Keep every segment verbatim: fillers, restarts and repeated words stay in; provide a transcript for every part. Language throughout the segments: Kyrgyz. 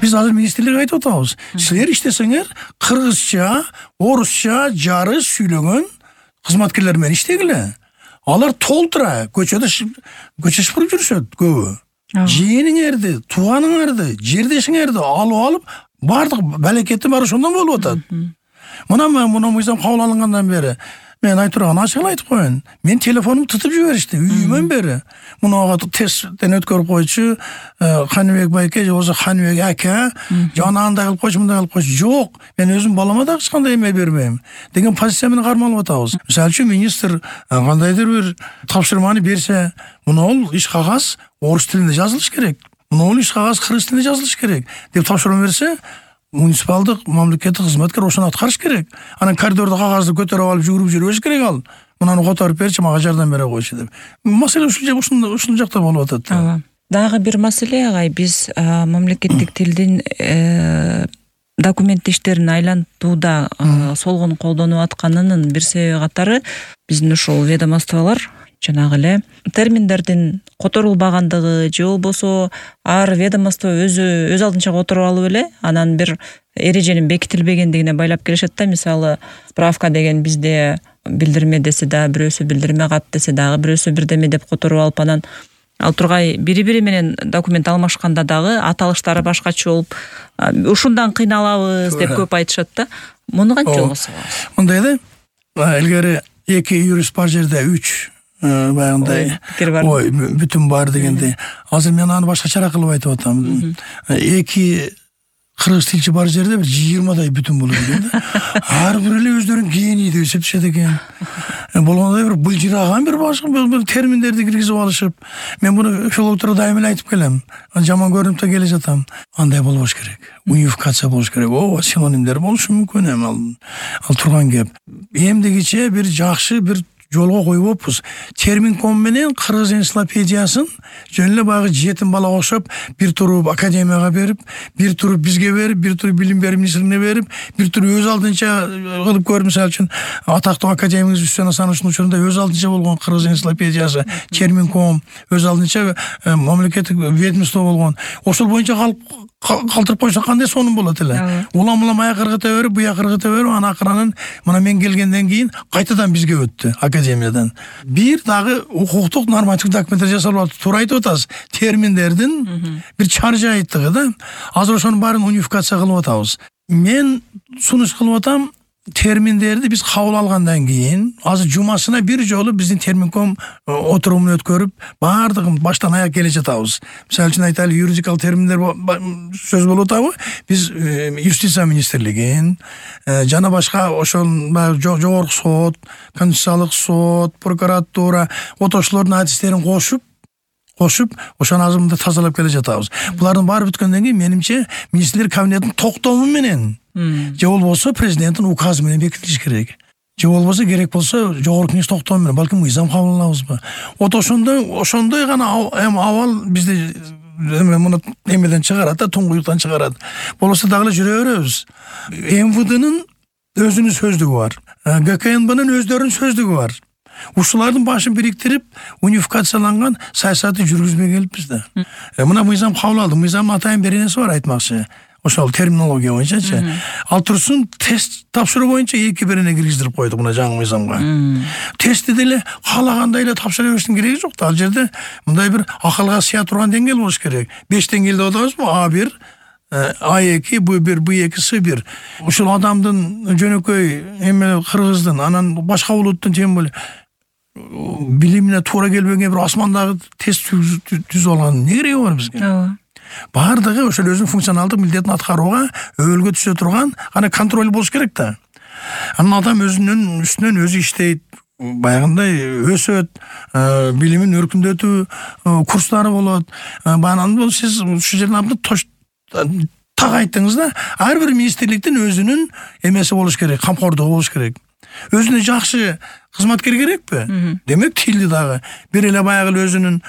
Биз азыр министрликке айтып атабыз. Силер иштесеңер кыргызча, орусча жарыш сүйлөгөн кызматкерлер менен иштегиле. Алар толтура көчөдө көчө шыпырып жүрүшөт көбү. Жиениңерди, тууганыңарды, жердешиңерди алып алып, бардык балекети баары ошондон болуп атат. Мына мына мыйзам кабыл алынгандан бери мен айтып турган ачык айтып коеюн. Мен телефонумду тутуп жиберишти үйүмөн бери. Мунага тесттен өткөрүп койчу, Каныбек байке же болбосо Каныбек ака, жана андай кылып койчу, мындай кылып койчу. Жок, мен өзүм балама да эч кандай эме бербейм деген позиция менен кармалып атабыз. Мисалы үчүн министр кандайдыр бир тапшырманы берсе, мунул иш кагаз орус тилинде жазылыш керек. Мунул иш кагаз кыргыз тилинде жазылыш керек деп тапшырма берсе, муниципалдык мамлекеттик кызматкер ошону аткарыш керек. Анан коридордо кагазды көтөрүп алып жүгүрүп жүрбөш керек ал. Мунаны которуп берчи, мага жардам бере койчу деп. Маселе ушул ушул жакта болуп атат. Ооба. Дагы бир маселе агай, биз мамлекеттик тилдин документ иштерин айлантууда солгон колдонуп атканынын бир себеби катары биздин ушул ведомстволор жанагы эле терминдердин которулбагандыгы же болбосо ар ведомство өзү өз алдынча которуп алып эле анан бир эреженин бекитилбегендигине байлап келишет да. Мисалы, справка деген бизде билдирме десе да, бирөөсү билдирме кат десе дагы бирөөсү бирдеме деп которуп алып, анан ал тургай бири-бири менен документ алмашканда дагы аталыштары башкача болуп, ушундан кыйналабыз деп көп айтышат да. Муну кантип жолго салабыз? Мындай да, илгери эки юрист бар жерде үч баягындай ой бүтүн бар дегендей. Азыр мен аны башкачараак кылып айтып атам. Эки кыргыз тилчи бар жерде бир жыйырмадай бүтүн болот экен да. Ар бир эле өздөрүн гений деп эсептешет экен. Болгондой бир былжыраган бир башка бир терминдерди киргизип алышып, мен муну филологторго дайым эле айтып келем. Жаман көрүнүп да келе жатам. Андай болбош керек. Унификация болуш керек. Ооба, синонимдер болушу мүмкүн эми ал. Ал турган кеп. Эмдигиче бир жакшы бир жолго коюппуз. Терминком менен кыргыз энциклопедиясын жөн эле баягы жетим балага окшоп бир туруп академияга берип, бир туруп бизге берип, бир туруп билим берүү министрлигине берип, бир туруп өз алдынча кылып көрүп, мисалы үчүн атактуу академигиз Үстөн Асановичтин учурунда өз алдынча болгон кыргыз энциклопедиясы, терминком өз алдынча мамлекеттик ведомство болгон. Ошол боюнча калтырып койсо кандай сонун болот эле. Улам-улам аяк ыргыта берип, буяк ыргыта берип, анан акырынын мына мен келгенден кийин кайтадан бизге өттү академиядан. Бир дагы укуктук нормативдик документтер жасалып атат. Туура айтып атасыз. Терминдердин бир чаржайыттыгы да. Азыр ошонун баарын унификация кылып атабыз. Мен сунуш кылып атам, терминдерди биз кабыл алгандан кийин азыр жумасына бир жолу биздин терминком отурумун өткөрүп, баардыгын баштан аяк келе жатабыз. Мисалы үчүн айталы, юридикалык терминдер сөз болуп атабы? Биз юстиция министрлигин жана башка ошол жогорку сот, конституциялык сот, прокуратура, отошулордун адистерин кошуп кошуп, ошону азыр мында тазалап келе жатабыз. Булардын баары бүткөндөн кийин менимче министрлер кабинетинин токтому менен же болбосо президенттин указы менен бекитилиш керек. Же болбосо керек болсо жогорку кеңеш токтому менен, балким мыйзам кабыл алабызбы? Вот ошондой ошондой гана эми абал бизде эме муну эмеден чыгарат да, туңгуюктан чыгарат. Болбосо дагы эле жүрө беребиз. эм вэ дэнин өзүнүн сөздүгү бар. гэ ка эн бнын өздөрүнүн сөздүгү бар. Ушулардын башын бириктирип, унификацияланган саясатты жүргүзбөй келиппиз да. Мына мыйзам кабыл алды. Мыйзамдын атайын бир нерсе бар айтмакчы. Ошол терминология боюнчачы. Ал турсун тест тапшыруу боюнча эки бирине киргиздирип койдук мына жаңы мыйзамга. Тестти деле каалагандай эле тапшыра бериштин кереги жок да. Ал жерде мындай бир акылга сыя турган деңгээл болуш керек. беш деңгээл деп атабызбы? а бир, а эки, бэ бир, бэ эки, с бир. Ушул адамдын жөнөкөй эме кыргыздын, анан башка улуттун тем более билимине туура келбеген бир асмандагы тест түзүп алган эмне кереги бар бизге? Ооба. Бардыгы ошол өзүнүн функционалдык милдетин аткарууга өбөлгө түшө турган аны контроль болуш керек да. Анан адам өзүнүн үстүнөн өзү иштейт, баягындай өсөт, билимин өркүндөтүү курстары болот. Анан бул сиз ушул жерден абдан так айттыңыз да. Ар бир министрликтин өзүнүн эмеси болуш керек, камкордугу болуш керек. Өзүнө жакшы кызматкер керекпи? Демек тилди дагы бир эле баягы өзүнүн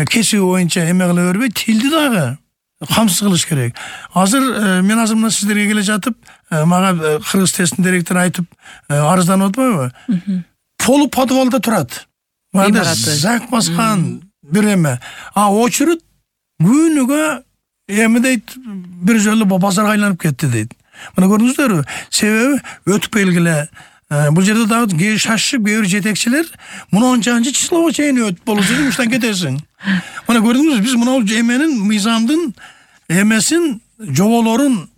кесиби боюнча эме кыла бербей, тилди дагы камсыз кылыш керек. Азыр мен азыр мына сиздерге келе жатып, мага кыргыз тесттин директору айтып арызданып атпайбы? Полу подвалда турат. Мында зак баскан бир эме. А очередь күнүгө эми дейт бир жолу базарга айланып кетти дейт. Мына көрдүңүздөрбү? Себеби өтүп келгиле. Бул жерде дагы кээ шашып, кээ жетекчилер мынанчанчы числого чейин өтүп болчу деп уштан кетесиң. Мына көрдүңүзбү? Биз мына эменин мыйзамдын эмесин жоболорун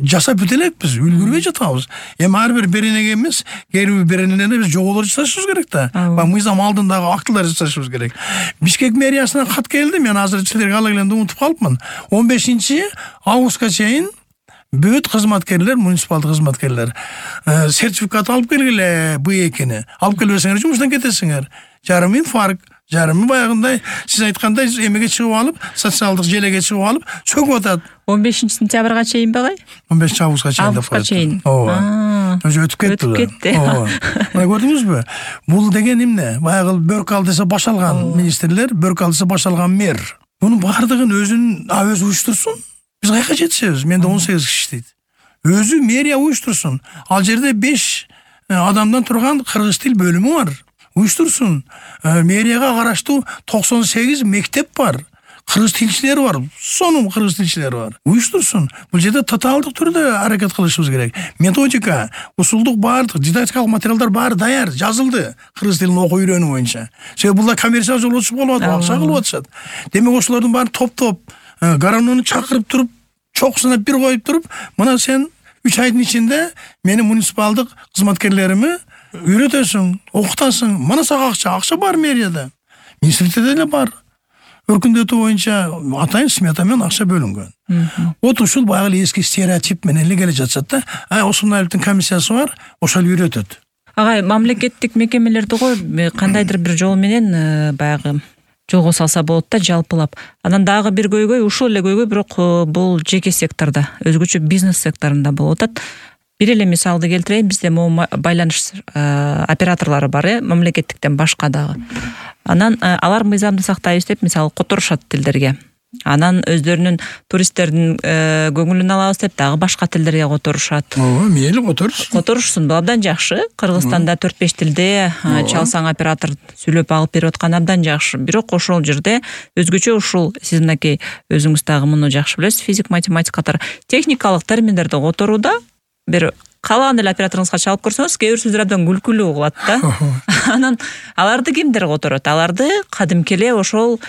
жасап бүтө элекпиз, үлгүрбөй жатабыз. Эми ар бир беренеге эмес, кээ бир беренеге биз жоболор жасашыбыз керек да. Ба мыйзам алдындагы актылар жасашыбыз керек. Бишкек мэриясынан кат келди, мен азыр силерге ала келгенде унутуп калыпмын. он бешинчи августка чейин бүт кызматкерлер, муниципалдык кызматкерлер сертификат алып келгиле Б экини. Алып келбесеңер жумуштан кетесиңер. Жарым инфаркт, жарымы баягындай сиз айткандай эмеге чыгып алып, социалдык желеге чыгып алып, чөгүп атат. он бешинчи сентябрга чейин багай? он бешинчи августка чейин деп коет. чейин. Ооба. Өзү өтүп кетти. Өтүп кетти. Ооба. Мына көрдүңүзбү? Бул деген эмне? Баягы бөрк алдыса баш алган министрлер, бөрк алдыса баш алган мэр. Мунун бардыгын өзүн өзү уюштурсун. Биз кайка жетишебиз? Менде он сегиз киши иштейт. Өзү мэрия уюштурсун. Ал жерде беш адамдан турган кыргыз тил бөлүмү бар. Уюштурсун. Мэрияга караштуу токсон сегиз мектеп бар. Кыргыз тилчилер бар. Сонун кыргыз тилчилер бар. Уюштурсун. Бул жерде тоталдык түрдө аракет кылышыбыз керек. Методика, усулдук баардык дидактикалык материалдар баары даяр, жазылды кыргыз тилин окуу үйрөнүү боюнча. Себеби булар коммерциялык жолго чыгып болуп атат, акча кылып атышат. Демек ошолордун баарын топтоп, гармонду чакырып туруп, чокусунап бир коюп туруп, мына сен үч айдын ичинде менин муниципалдык кызматкерлерими үйрөтөсүң, окутасың. Мына сага акча, акча бар мэрияда. Министрликте деле бар. Өркүндөтүү боюнча атайын смета менен акча бөлүнгөн. Вот ушул баягы эски стереотип менен эле келе жатышат да. Ай, Осмонаевдин комиссиясы бар, ошол үйрөтөт. Агай, мамлекеттик мекемелерди го кандайдыр бир жол менен баягы жолго салса болот да, жалпылап. Анан дагы бир көйгөй, ушул эле көйгөй, бирок бул жеке сектордо, өзгөчө бизнес секторунда болуп атат. Бир эле мисалды келтирейин, бизде могу байланыш операторлору бар, э, мамлекеттиктен башка дагы. Анан алар мыйзамды сактайбыз деп, мисалы, которушат тилдерге. Анан өздөрүнүн туристтердин көңүлүн алабыз деп дагы башка тилдерге которушат. Ооба, мейли которуш. Которушсун, бул абдан жакшы. Кыргызстанда төрт беш тилде чалсаң оператор сүйлөп алып берип аткан абдан жакшы. Бирок ошол жерде өзгөчө ушул сиз мынакей өзүңүз дагы муну жакшы билесиз, физик, математика катары техникалык терминдерди которууда бир каалаган эле операторуңузга чалып көрсөңүз, кээ бир сөздөр абдан күлкүлүү угулат да. Анан аларды кимдер которот? Аларды кадимки эле ошол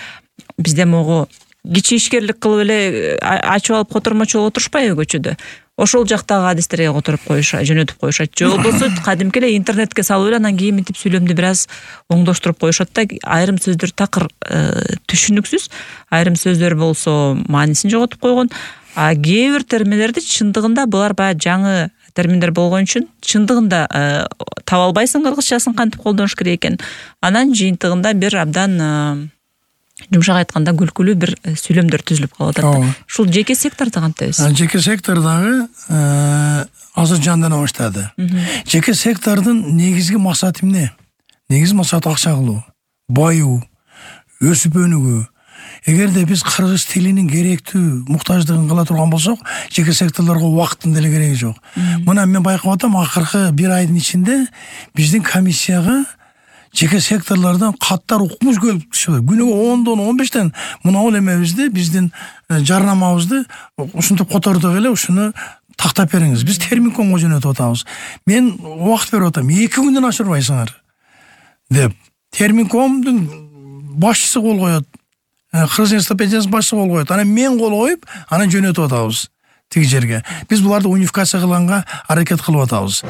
бизде могу кичи ишкерлик кылып эле ачып алып котормочу болуп отурушпайбы көчөдө? Ошол жактагы адистерге которуп коюшат, жөнөтүп коюшат. Же болбосо кадимки эле интернетке салып эле анан кийин мынтип сүйлөмдү бир аз оңдоштуруп коюшат да. Айрым сөздөр такыр түшүнүксүз, айрым сөздөр болсо маанисин жоготуп койгон. А кээ бир терминдерди чындыгында булар баягы жаңы терминдер болгон үчүн чындыгында таба албайсың кыргызчасын кантип колдонуш керек экен. Анан жыйынтыгында бир абдан жумшак айтканда күлкүлүү бир сүйлөмдөр түзүлүп калып атат. Ушул жеке секторду кантебиз? Жеке сектордагы азыр жандана баштады. Жеке сектордун негизги максаты эмне? Негизги максаты акча кылуу, байуу, өсүп өнүгүү. Эгерде биз кыргыз тилинин керектүү муктаждыгын кыла турган болсок, жеке секторлорго убакыттын деле кереги жок. Мына мен байкап атам, акыркы бир айдын ичинде биздин комиссияга жеке секторлордон каттар укмуш келип түшөт. Күнүгө ондон он бештен мынабул эмебизди, биздин жарнамабызды ушинтип котордук эле, ушуну тактап бериңиз. Биз терминкомго жөнөтүп атабыз. Мен убакыт берип атам, эки күндөн ашырбайсыңар деп. Терминкомдун башчысы кол коет. Кыргыз энциклопедиясынын башчысы кол коет. Анан мен кол коюп, анан жөнөтүп атабыз тиги жерге. Биз буларды унификация кылганга аракет кылып атабыз.